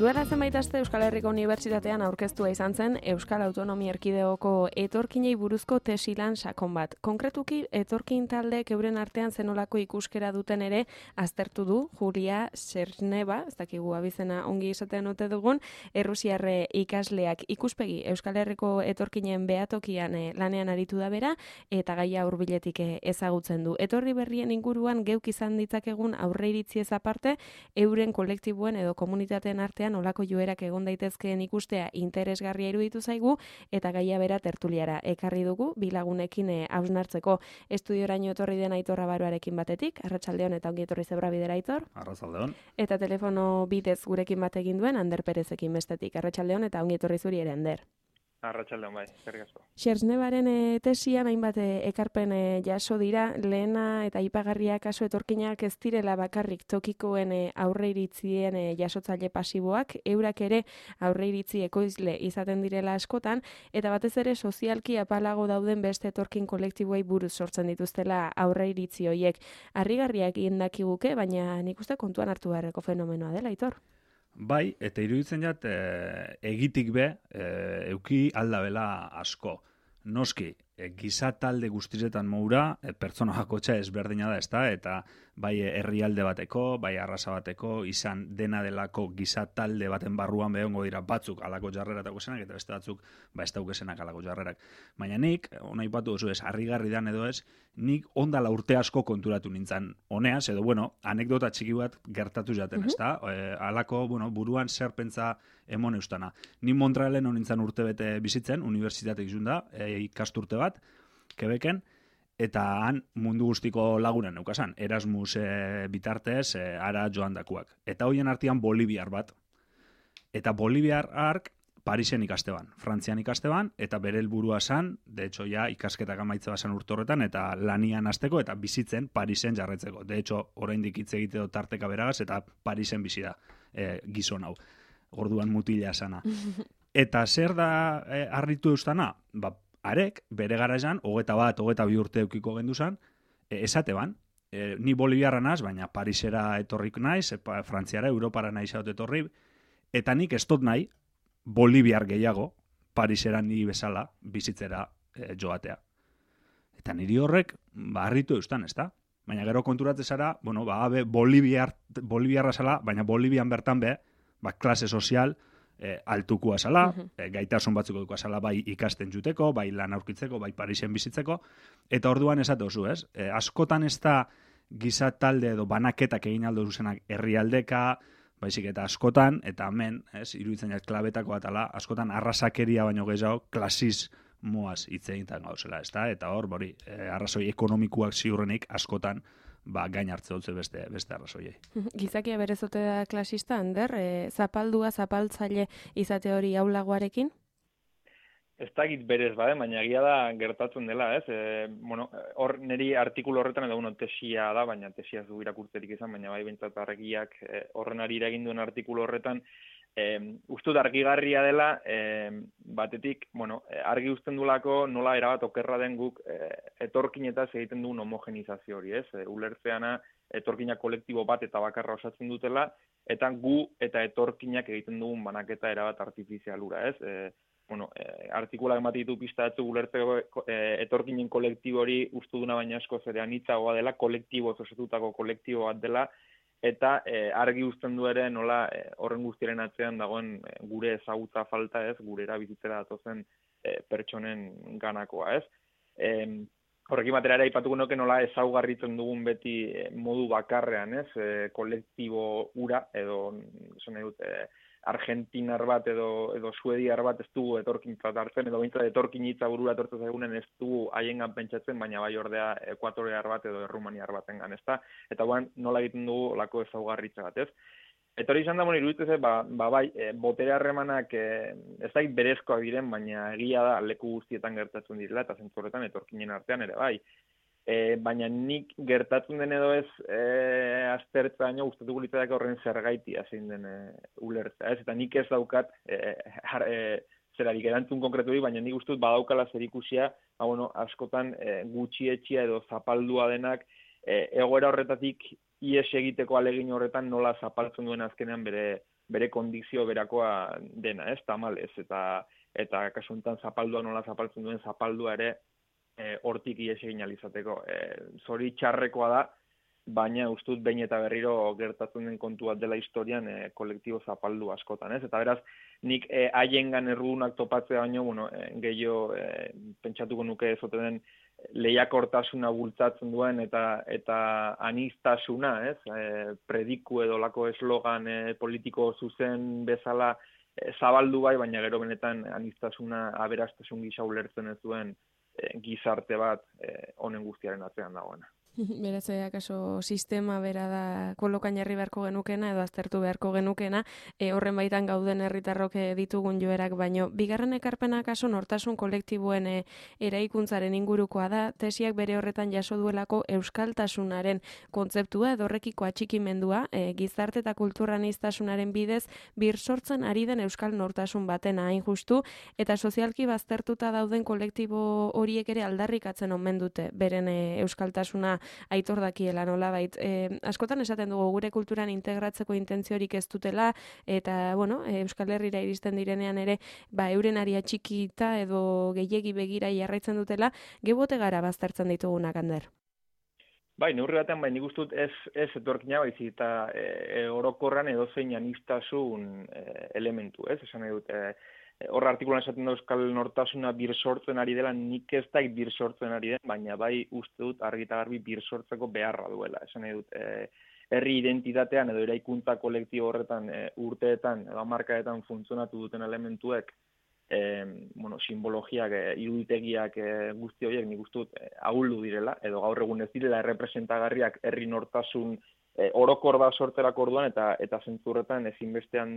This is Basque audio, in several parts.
Duela zenbait aste Euskal Herriko Unibertsitatean aurkeztua izan zen Euskal Autonomia Erkidegoko etorkinei buruzko tesilan sakon bat. Konkretuki, etorkin taldeek euren artean zenolako ikuskera duten ere aztertu du Julia Serneva, ez dakigu abizena ongi esaten ote dugun, errusiarre ikasleak ikuspegi Euskal Herriko etorkinen behatokian lanean aritu da bera, eta gaia hurbiletik ezagutzen du. Etorri berrien inguruan geuk izan ditzakegun aurreiritziez aparte, euren kolektiboen edo komunitateen artean olako joerak egon daitezkeen ikustea interesgarria iruditu zaigu eta gaia bera tertuliara ekarri dugu bilagunekin hausnartzeko. Estudioraino etorri den Aitor Abaroarekin batetik, arratsaldeon eta ongi etorri Zebra bidera Aitor. Arratsaldeon. Eta telefono bidez gurekin bat egin duen Ander Perezekin bestetik, arratsaldeon eta ongi etorri zuri ere Ander. Arratsaldeon bai, eskerrik asko. Sernevaren tesian hainbat ekarpen jaso dira, lehena eta aipagarria kasu etorkinak ez direla bakarrik tokikoen aurreiritzien jasotzaile pasiboak, eurak ere aurreiritzi ekoizle izaten direla askotan, eta batez ere sozialki apalago dauden beste etorkin kolektiboei buruz sortzen dituztela aurreiritzi horiek. Harrigarriak indakiguke, baina nik uste kontuan hartu beharreko fenomenoa dela, Aitor. Bai, eta iruditzen jat egitik be euki aldabela asko. Noski, giza talde guztizetan moura, pertsona bakotxa ezberdina da, ezta? Eta bai herrialde bateko, bai arrasa bateko, izan dena delako giza talde baten barruan behongo dira batzuk alako jarreratako zenak, eta beste batzuk ez daukesenak alako jarrerak. Baina nik, ona ipatu duzu ez, harrigarri dan edo ez, nik ondala urte asko konturatu nintzen honeaz, edo anekdota txiki bat gertatu jaten, ezta? Alako, buruan zer pentsa emon eustana. Ni Montrealen honintzen urte bete bizitzen, unibertsitatek zunda, ikasturte bat, Quebecen, eta han mundu guztiko lagunen neukasan, Erasmus bitartez, ara joan dakuak. Eta hoien artean Boliviar bat. Eta Boliviar ark Parisen ikasteban, Frantzian ikasteban, eta bere helburua zan, de hecho ja ikasketak amaitze bazan urte horretan, eta lanian hasteko eta bizitzen Parisen jarretzeko. De hecho, oraindik hitz egiteko tarteka beragaz, eta Parisen bizi da gizon hau. Orduan mutila sana. Eta zer da harritu eustana? Arek, bere garaian, 21-22 urte eukiko gendu zan, esate ban, ni Boliviarra naz, baina Parisera etorrik naiz, Frantziara, Europara naiz haut etorri, eta nik ez dut nahi, Boliviar gehiago, Parisera ni bezala, bizitzera joatea. Eta niri horrek, harritu eustan, ez da? Baina gero konturatzen zara, Boliviarra zala, baina Bolivian bertan be, klase sozial, altukua zala, gaitasun batzuk dukua zala, bai ikasten juteko, bai lan aurkitzeko, bai Parisen bizitzeko, eta orduan esate oso, ez? Askotan ez da giza talde edo banaketak egin aldo zuzenak herrialdeka, baizik eta askotan, eta hemen, iruditzen jat klabetako atala, askotan arrasakeria baino gehiago klasismoaz hitz egiten gauzela, ez da? Eta hor, arrazoi ekonomikoak ziurrenik askotan, gain hartze dutze beste arrazoiei. Gizakia berezote da klasista, Ander, zapaldua, zapaltzaile izate hori aulagoarekin? Ez dakit berez baina egia da gertatzen dela, ez? Hor niri artikulu horretan edo tesia da, baina tesia zu irakurtzerik izan, baina bai bentsat argiak horren ari eragin duen artikulu horretan, ustut argigarria dela, batetik, argi uzten dulako nola erabat okerra den guk etorkinetaz egiten duen homogenizazio hori, ez? Ulertzeana etorkinak kolektibo bat eta bakarra osatzen dutela, eta gu eta etorkinak egiten dugun banaketa erabat artifizialura, ez? Artikulak emate ditu pista batzuk ulertzeko etorkinen kolektibo hori ustu duna baina asko zerean hitzagoa dela, kolektibo osatutako kolektibo bat dela, eta argi uzten du ere nola horren guztiaren atzean dagoen gure ezagutza falta, ez, gure erabizitzera datozen pertsonen ganakoa, ez. Horrekin batera ere aipatuko nuke nola ezaugarritzen dugun beti modu bakarrean, ez, kolektibo ura, edo argentinar bat edo suediar bat ez dugu etorkintzat hartzen, edo bintzat etorkin hitza burura etortzen zaigunen ez dugu haiengan pentsatzen, baina bai ordea ekuatorear bat edo errumaniar batengan, ezta? Eta nola egiten dugu olako ezaugarritza bat, ez? Eta hori izan da, iruditzen bai, botere harremanak ez da berezkoak diren, baina egia da leku guztietan gertatzen direla, eta zentzu horretan etorkinen artean ere bai. Baina nik gertatzen den edo ez aztertza baina gustatuko litzateke horren zergaitia zein den ulertza, ez? Eta nik ez daukat zerarik erantzun konkretu baina nik uste dut badaukala zerikusia, askotan gutxietxia edo zapaldua denak egoera horretatik ies egiteko alegin horretan nola zapaltzen duen azkenean bere bere kondizio berakoa dena, ez, tamalez, eta kasu honetan zapaldua nola zapaltzen duen zapaldua ere hortik ihes egin alizateko. Zori txarrekoa da, baina ustut behin eta berriro gertatzen den kontu bat dela historian kolektibo zapaldu askotan, ez? Eta beraz, nik haiengan errudunak topatzea baino, gehiago pentsatuko nuke ezoten den lehiakortasuna bultzatzen duen eta aniztasuna, ez? Prediku edo lako eslogan politiko zuzen bezala zabaldu bai, baina gero benetan aniztasuna aberastasun gisa ulertzen ez duen gizarte bat honen guztiaren atzean dagoena. Beraz, akaso sistema bera da kolokan jarri beharko genukena edo aztertu beharko genukena, horren baitan gauden herritarrok ditugun joerak, baino bigarren ekarpena akaso nortasun kolektiboen eraikuntzaren ingurukoa da, tesiak bere horretan jaso duelako euskaltasunaren kontzeptua edo horrekiko atxikimendua, gizarte eta kulturaniztasunaren bidez bir sortzen ari den euskal nortasun batena hain justu, eta sozialki baztertuta dauden kolektibo horiek ere aldarrikatzen omen dute beren euskaltasuna aitor dakiela nolabait. Askotan esaten dugu gure kulturan integratzeko intentziorik ez dutela eta Euskal Herrira iristen direnean ere euren aria txikita edo gehiegi begira jarraitzen dutela, gebote gara baztertzen ditugunak, Ander. Bai, neurri batean nik uste dut ez etorkina baizik eta orokorran edozein anistasun elementu, ez? Esan nahi dut, hor artikulan esaten da euskal nortasuna bir sortzen ari dela, nik ez da bir sortzen ari den, baina bai uste dut argi eta garbi bir sortzeko beharra duela. Esan nahi dut, herri identitatean edo eraikuntza kolektibo horretan urteetan edo hamarkadetan funtzionatu duten elementuek, simbologiak, iruditegiak guzti horiek nik uste dut ahuldu direla, edo gaur egun ez direla errepresentagarriak herri nortasun orokor bat sorterako orduan eta zentzurretan ezinbestean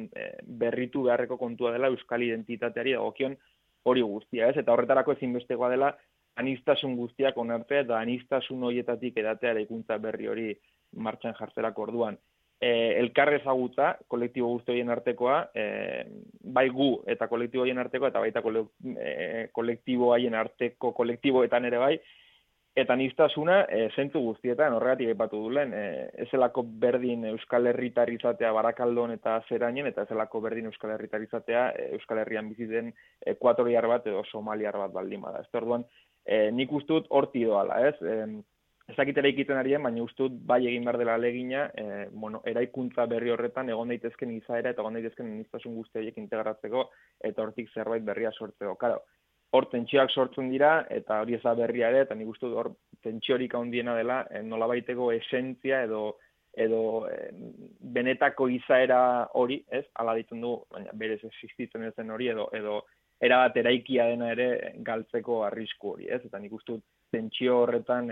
berritu beharreko kontua dela euskal identitateari dagokion hori guztia, ez? Eta horretarako ezinbestekoa dela anistasun guztiak onartzea eta anistasun horietatik edatea eraikuntza berri hori martxan jartzerako orduan. Elkar ezagutza, kolektibo guzti horien artekoa, bai gu eta kolektibo horien artekoa, eta baita kolektibo haien arteko kolektiboetan ere bai, eta aniztasuna zentzu guztietan horregatik aipatu dulen, ezelako berdin Euskal Herritar izatea Barakaldon eta Zerainen, eta ezelako berdin Euskal Herritar izatea Euskal Herrian bizi den ekuatoriar bat edo somaliar bat baldin bada. Ez orduan, nik uste dut horti doala, ez? Ez dakit eraikiten arien, baina uste dut bai egin behar dela alegina, eraikuntza berri horretan egon daitezken izaera eta egon daitezken aniztasun guzti horiek integratzeko eta hortik zerbait berria sortzeko. Claro, hor tentsioak sortzen dira, eta hori ez da berria ere, eta nik uste dut hor tentsiorik handiena dela, nolabaiteko esentzia edo benetako izaera hori, ez? Hala ditzen du, baina berez existitzen ez den hori, edo erabat eraikia dena ere galtzeko arrisku hori, ez? Eta nik uste dut tentsio horretan,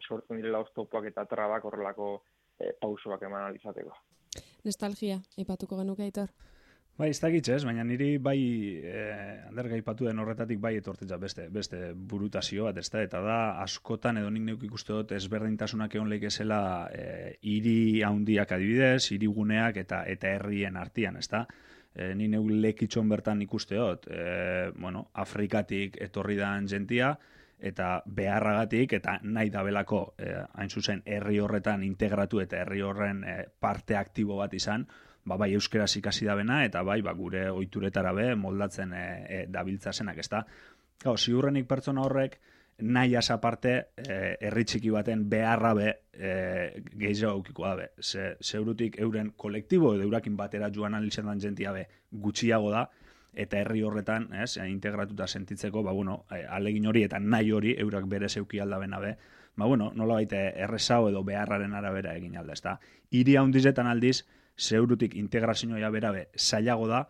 sortzen direla oztopoak eta trabak horrelako pausoak eman alizateko. Nostalgia, aipatuko genuke, Aitor? Bai, ez dakit ez, baina niri bai, Ander gaipatu den horretatik bai etortitza beste burutazio bat, eta da askotan edo nik neuk ikuste dut ezberdintasunak egon leikezela hiri handiak adibidez, hiriguneak eta herrien artean, ezta? Ni neuk lekitxon bertan ikuste dut, Afrikatik etorri dan jentia, eta beharragatik eta nahi dabelako hain zuzen herri horretan integratu eta herri horren parte aktibo bat izan, bai euskeraz ikasi dabena eta bai gure ohituretara be moldatzen dabiltza zenak, ezta? Gau, ziurrenik pertsona horrek nahi aparte herri txiki baten beharra be gehiago aukikoa be. Zeurutik euren kolektibo edo eurakin batera joan alizendan jentia be gutxiago da, eta herri horretan, integratuta sentitzeko, alegin hori eta nahi hori eurak bere zeuki aldabena be, nola baita errezao edo beharraren arabera egin alda, ezta? Hiri handizetan aldiz, zeurutik integrazioa bera be zailago da,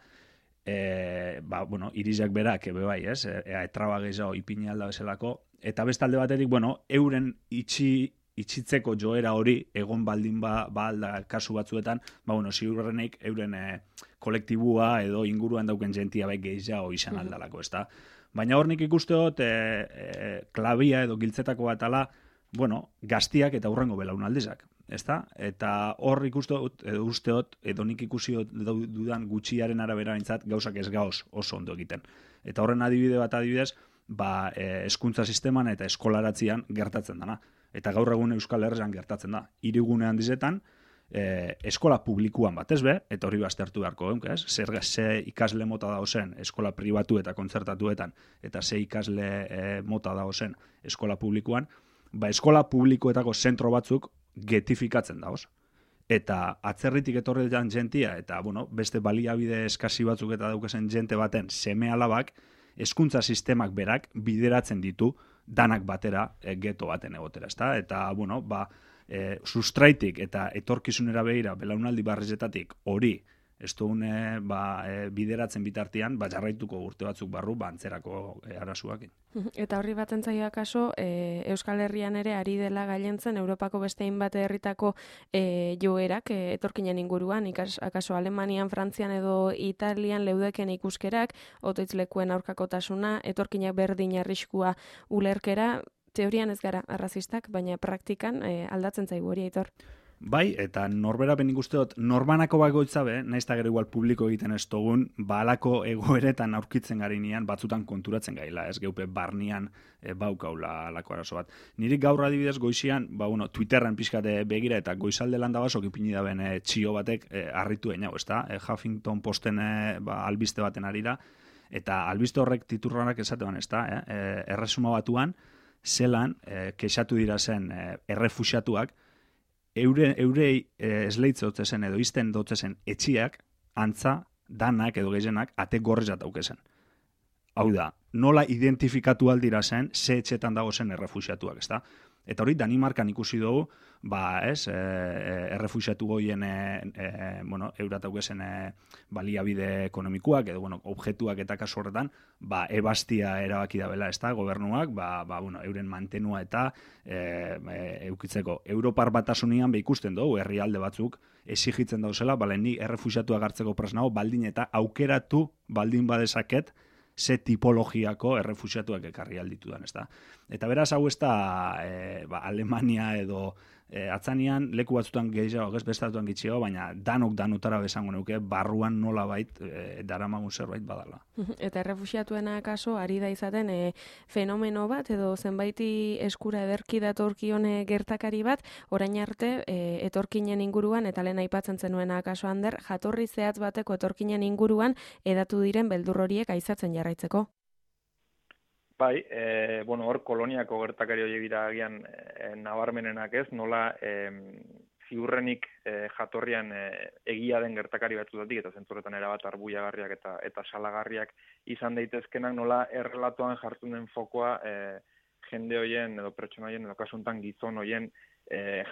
irizak berak bai, etraba gehiago ipini alda bezalako, eta bestalde batetik, euren itxitzeko joera hori egon baldin alda kasu batzuetan, ziurrenik euren kolektibua edo inguruan dauken jentia bai gehiago izan aldalako, ezta? Baina hor nik ikuste dut klabia edo giltzetako bat ala, gaztiak eta hurrengo belaunaldizak, ezta? Eta hor ikuste dut, edo nik ikusi dudan gutxiaren arabera bintzat gauzak ez gauz oso ondo egiten. Eta horren adibidez, hezkuntza sisteman eta eskolaratzian gertatzen dana. Eta gaur egun Euskal Herrian gertatzen da. Hirigune handizetan, eskola publikuan batez be, eta hori baztertu beharko geunk, ez? Ze ikasle mota dagozen eskola pribatu eta kontzertatuetan, eta ze ikasle mota dagozen eskola publikuan, eskola publikoetako zentro batzuk getifikatzen dagoz. Eta atzerritik etorretan jentia, eta beste baliabide eskasi batzuk eta daukazen jente baten seme alabak, hezkuntza sistemak berak bideratzen ditu danak batera geto baten egotera, ezta? Eta, sustraitik eta etorkizunera begira, belaunaldi barrizetatik hori, ez dugune bideratzen bitartian, jarraituko urte batzuk barru, antzerako arasuak. Eta horri batzen zaio akaso, Euskal Herrian ere ari dela gailentzen Europako beste hainbat herritako joerak etorkinen inguruan, akaso Alemanian, Frantzian edo Italian leudeken ikuskerak, otoitzlekuen aurkakotasuna, etorkinak berdin arriskua ulerkera, teorian ez gara arrazistak, baina praktikan aldatzen zaigu hori, Aitor. Bai, eta norbera benik uste dut, norbanako bagoitza be, nahiz eta gero igual publiko egiten ez dugun, alako egoeretan aurkitzen garinean batzutan konturatzen gaila, ez geupe barnian baukaula alako arazo bat. Nirik gaur adibidez goizian, Twitterren pixkate begira eta goizalde landa basok ipini daben txio batek harritu einau, ezta? Huffington Posten albiste baten arira, eta albiste horrek titurranak esatean, ezta? Erresuma Batuan, zelan, kexatu dira zen errefuxiatuak, eurei esleitze dotzezen edo izten dotzezen etxiak, antza, danak edo gehienak, ate gorrizat daukezen. Hau da, nola identifikatu aldira zen, ze etxetan dago zen errefuxiatuak, ezta? Eta hori, Danimarkan ikusi dugu, errefuxiatu goien, eurat daukezen baliabide ekonomikoak, edo, objektuak eta kasu horretan, ebastia erabaki da bela, ezta, gobernuak, euren mantenua eta eukitzeko. Europar Batasunian ikusten dugu, herrialde batzuk, exigitzen dauzela, ni errefuxiatuak hartzeko presnago, baldin eta aukeratu baldin badezaket, ze tipologiako errefuxiatuak ekarri alditudan, ezta. Eta beraz, hau ez da Alemania edo atzanian leku batzutan gehiago, bestatuan gitxio, baina danutara besango neuke, barruan nola bait, daramagun zerbait badala. Eta errefuxiatuena kaso, ari da izaten fenomeno bat, edo zenbaiti eskura ederki datorkion gertakari bat, orain arte etorkinen inguruan, eta lehen aipatzen zenuena kaso Ander, jatorri zehatz bateko etorkinen inguruan, edatu diren beldur horiek aizatzen jarraitzeko. Bai, hor koloniako gertakari hori dira agian nabarmenenak ez, nola ziurrenik jatorrian egia den gertakari batzutatik, eta zentzurretan erabat arbuiagarriak eta salagarriak izan daitezkenak, nola errelatoan jartzen den fokoa jende hoien edo pertsona hoien edo kasuntan gizon hoien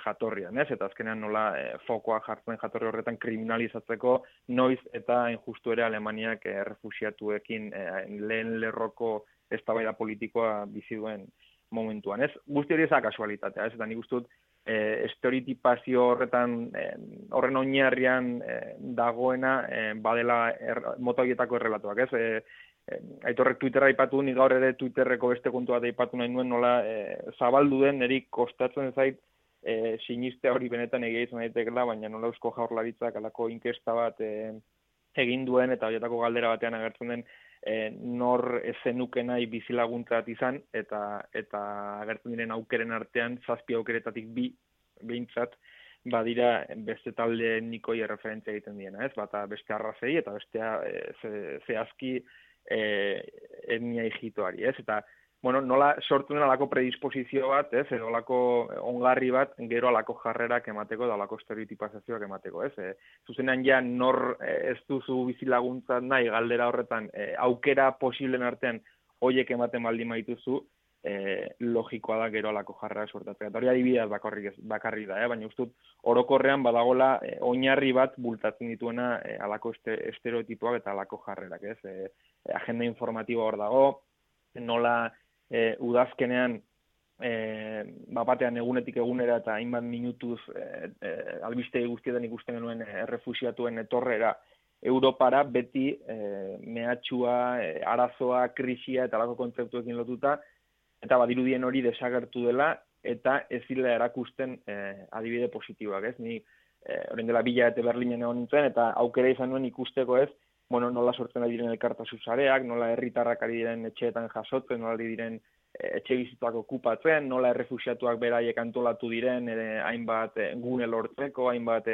jatorrian, ez? Eta azkenean nola fokoa jartzen jatorri horretan kriminalizatzeko noiz eta injustu ere Alemaniak errefuxiatuekin lehen lerroko eztabaida politikoa bizi duen momentuan, ez? Guzti hori ez da kasualitatea, ez? Eta nik uste dut estereotipazio horren oinarrian dagoena badela mota horietako errelatuak, ez? Aitorrek Twitterra aipatu, nik gaur ere Twitterreko beste kontua da aipatu nahi nuen, nola zabaldu den, niri kostatzen zait sinistea hori benetan egia izan daitekela, baina nola Eusko Jaurlaritzak alako inkesta bat egin duen eta horietako galdera batean agertzen den nor ezenuke nahi bizilaguntzat izan eta agertzen diren aukeren artean 7 aukeretatik 2 behintzat badira beste talde etnikoi erreferentzia egiten diena, ez? Bata beste arrazei eta bestea zehazki etnia hijitoari, ez? Eta nola sortu den alako predisposizio bat, ez? Edo alako ongarri bat, gero alako jarrerak emateko, da alako estereotipazazioak emateko, ez? Zuzenean ja nor ez duzu bizilaguntzat nahi galdera horretan aukera posiblen artean hoiek ematen baldin maituzu, logikoa da gero alako jarrera sortatzea. Eta hori adibidez bakarrik da, baina ustut orokorrean badagola oinarri bat bultatzen dituena alako estereotipoak eta alako jarrerak, ez? Agenda informatiboa hor dago, nola udazkenean batean egunetik egunera eta hainbat minutuz albiste guztietan ikusten genuen errefuxiatuen etorrera Europara beti mehatxua, arazoa, krisia eta alako kontzeptuekin lotuta, eta badirudien hori desagertu dela eta ez zila erakusten adibide positiboak, ez? Ni orain dela 2 hilabete Berlinen egon nintzen eta aukera izan nuen ikusteko, ez? Nola sortzen ari diren elkartasun sareak, nola herritarrak ari diren etxeetan jasotzen, nola ari diren etxe bizitzak okupatzen, nola errefuxiatuak beraiek antolatu diren, hainbat gune lortzeko, hainbat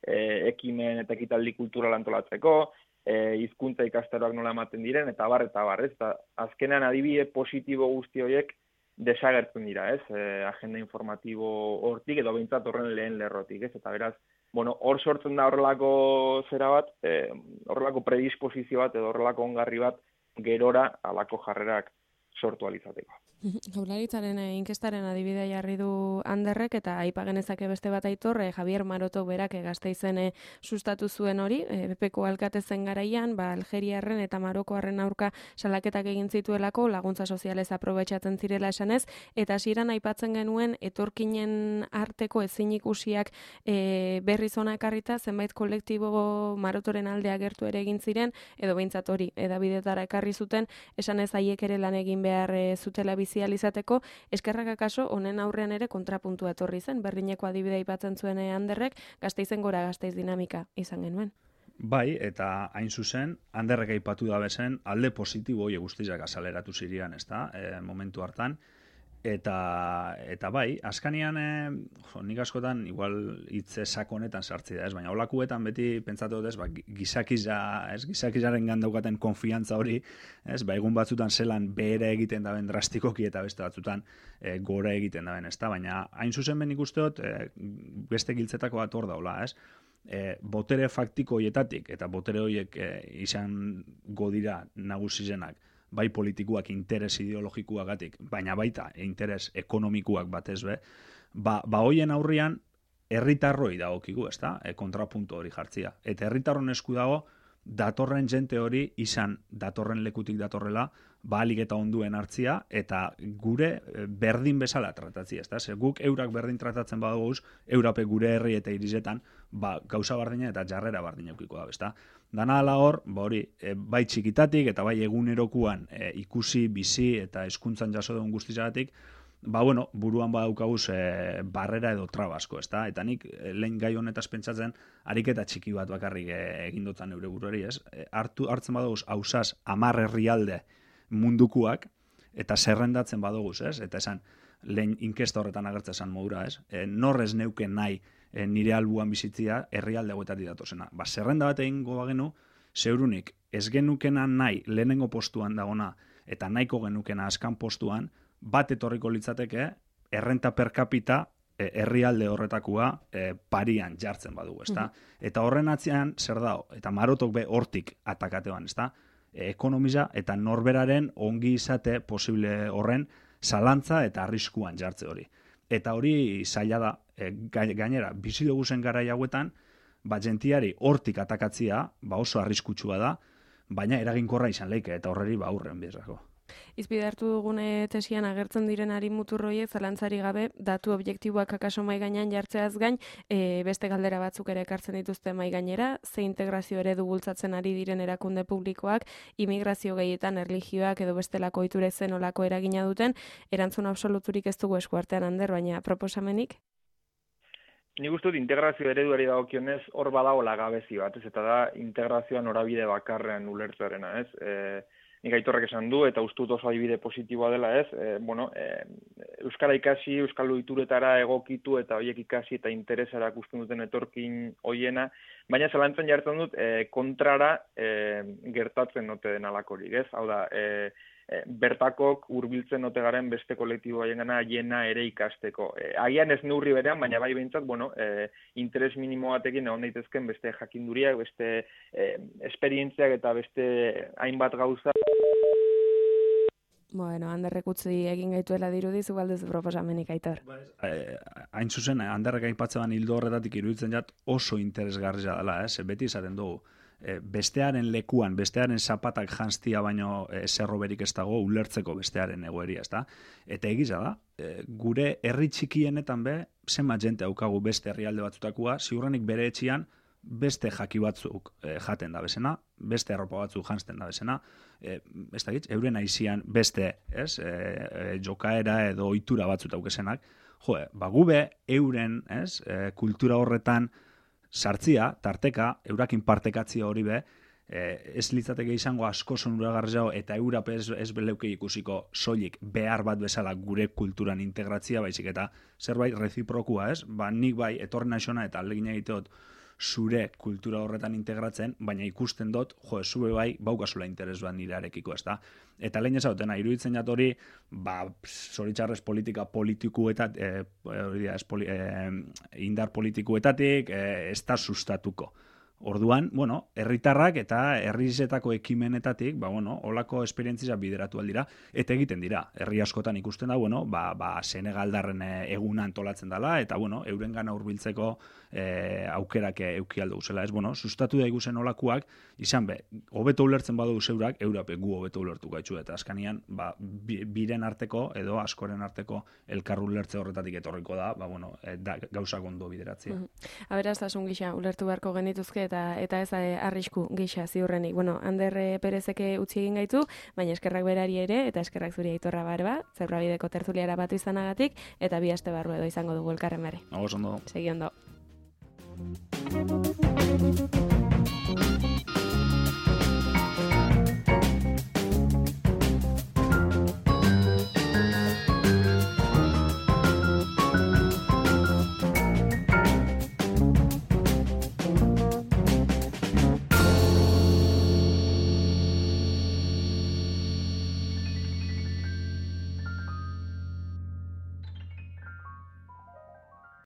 ekimen eta ekitaldi kultural antolatzeko, hizkuntza ikastaroak nola ematen diren, eta bar, ez? Eta azkenean adibide positibo guzti horiek desagertzen dira, ez? Agenda informatibo hortik, edo behintzat horren lehen lerrotik, ez? Eta beraz, hor sortzen da horrelako zera bat, horrelako predisposizio bat, edo horrelako ongarri bat, gerora alako jarrerak sortu alizateko. Jaurlaritzaren inkestaren adibidea jarri du Anderrek eta aipa genezake beste bat Aitor, Javier Maroto berak Gasteizen sustatu zuen hori, BPko alkate zen garaian, Algeriarren eta Marokoarren aurka salaketak egin zituelako, laguntza sozialez aprobetxatzen zirela esanez, eta hasieran aipatzen genuen etorkinen arteko ezin ikusiak berriz hona ekarrita, zenbait kolektibo Marotoren alde agertu ere egin ziren, edo behintzat hori edabidetara ekarri zuten, esanez haiek ere lan egin behar zutela izateko, eskerrak akaso honen aurrean ere kontrapuntua etorri zen, berdineko adibidea aipatzen zuen Anderrek, Gasteizen gora Gasteiz dinamika izan genuen. Bai, eta hain zuzen, Anderrek aipatu da bezen, alde positibo hori guztiak azaleratu zirian, ezta, momentu hartan, eta bai, askanian, nik askotan, igual hitze sakonetan sartzi da, ez, baina holakuetan beti pentsatu dut, gizakizaren gandaukaten konfiantza hori, ez, egun batzutan zelan behera egiten daben drastikoki eta beste batzutan gora egiten daben, ez da, baina hain zuzen ben ikusteot, beste giltzetako bat hor daula, ez, botere faktiko hoietatik, eta botere horiek izan godira nagusizenak, bai politikuak interes ideologikuagatik, baina baita interes ekonomikuak batez be, hoien aurrian herritarroi dagokigu, ezta? Kontrapuntu hori jartzia. Eta herritarron esku dago datorren jente hori izan datorren lekutik datorrela, ahalik eta onduen hartzia eta gure berdin bezala tratatzia, ezta? Ze guk eurak berdin tratatzen baduguz, eurape gure herri eta irisetan, gauza bardina eta jarrera bardina eukiko da, ezta? Dana ala hor, hori, bai txikitatik eta bai egunerokuan ikusi, bizi eta hezkuntzan jaso dugun guztizagatik, buruan badaukaguz barrera edo trabasko, ezta? Eta nik lehen gai honetaz pentsatzen, ariketa txiki bat bakarrik egin dutan eure buruari, ez? Hartzen baduguz, hausaz, 10 herrialde mundukuak, eta zerrendatzen baduguz, ez? Eta esan, lehen inkesta horretan agertzen esan modura, ez? Norrez neuken nahi nire albuan bizitzia herrialde hauetatik datozena. Zerrenda bat egingo bagenu, zeurunik ez genukena nahi lehenengo postuan dagona eta nahiko genukena askan postuan, bat etorriko litzateke errenta per capita herrialde horretakua parian jartzen badugu, ezta? Eta horren atzean zer dago? Eta Marotok be hortik atakatean, ezta? Ekonomia eta norberaren ongi izate posible horren zalantza eta arriskuan jartze hori. Eta hori zaila da, gainera, bizi dugu zen garai hauetan, jentiari hortik atakatzia, oso arriskutsua da, baina eraginkorra izan leike, eta horreri aurren bezako. Izpide hartu dugune tesian agertzen direnari muturroiek zalantzari gabe datu objektiboak akaso mai gainean jartzeaz gain, beste galdera batzuk ere ekartzen dituzte mai gainera, ze integrazio eredu bultzatzen ari diren erakunde publikoak, immigrazio gehietan erlijioak edo bestelako ohiturek zen olako eragina duten, erantzun absoluturik ez dugu eskuartean Ander, baina proposamenik? Nik uste dut integrazio ereduari dagokionez hor badagoela gabezi bat, ez, eta da integrazioa norabide bakarrean ulertzearena, ez? Nik Aitorrek esan du, eta uste dut oso adibide positiboa dela, ez? Euskara ikasi, euskal ohituretara egokitu eta horiek ikasi eta interesara ikusten duten etorkin hoiena, baina zalantzan jartzen dut kontrara gertatzen ote den alakorik, ez? Hau da, bertakok hurbiltzen ote garen beste kolektibo haiengana haiena ere ikasteko. Agian ez neurri berean, baina bai behintzat, interes minimo batekin egon daitezken beste jakinduriak, beste esperientziak eta beste hainbat gauza. Anderrek utzi egin gaituela dirudi, zu galduzu proposamenik, Aitor. Hain zuzen, Anderrek aipatzean hildo horretatik iruditzen jat oso interesgarria dela, beti izaten dugu. Bestearen lekuan, bestearen zapatak jantztia baino zerroberik ez dago ulertzeko bestearen egoeria, ezta? Eta egiza da, gure herri txikienetan be, zenbat jente haukagu beste herrialde batzutakoa, ziurrenik bere etxian beste jaki batzuk jaten da bezena, beste arropa batzuk jantzten da bezena, ez da gitz, euren aizian beste, jokaera edo ohitura batzut aukesenak, gube euren, kultura horretan sartzia, tarteka, eurakin partekatzia hori be, ez litzateke izango asko sonuragarriago eta Eurap ez beleuke ikusiko soilik behar bat bezala gure kulturan integratzia, baizik eta zerbait reziprokua, ez? Nik bai etorri naixona eta aldegin egiteot zure kultura horretan integratzen, baina ikusten dut, zube bai, baukazula interes bat nirearekiko, ez da? Eta lehen ezautena, iruditzen jat hori, zoritxarrez politika politikuetat, indar politikuetatik, ez da sustatuko. Orduan, herritarrak eta herrizetako ekimenetatik, holako esperientzia bideratu aldira, eta egiten dira. Herri askotan ikusten da, Senegaldarren eguna antolatzen dela, eta, euren gana hurbiltzeko aukerak eukialdo guzela. Ez, sustatu da iguzen olakuak, izan be, hobeto ulertzen badu zeurak, Eurape gu hobeto ulertu gaitxu, eta askanian, biren arteko, edo askoren arteko elkarru ulertze horretatik etorriko da, gauzak ondo bideratzea. Aberastasun gisa, ulertu beharko genituzke, eta ez arrisku gisa ziurrenik. Ander Perezeke utzi egin gaitu, baina eskerrak berari ere, eta eskerrak zuri Aitorra Barba, Zebrabideko tertuliara batu izanagatik, eta 2 aste barru edo izango dugu elkarren bere. Ondo. Segi ondo.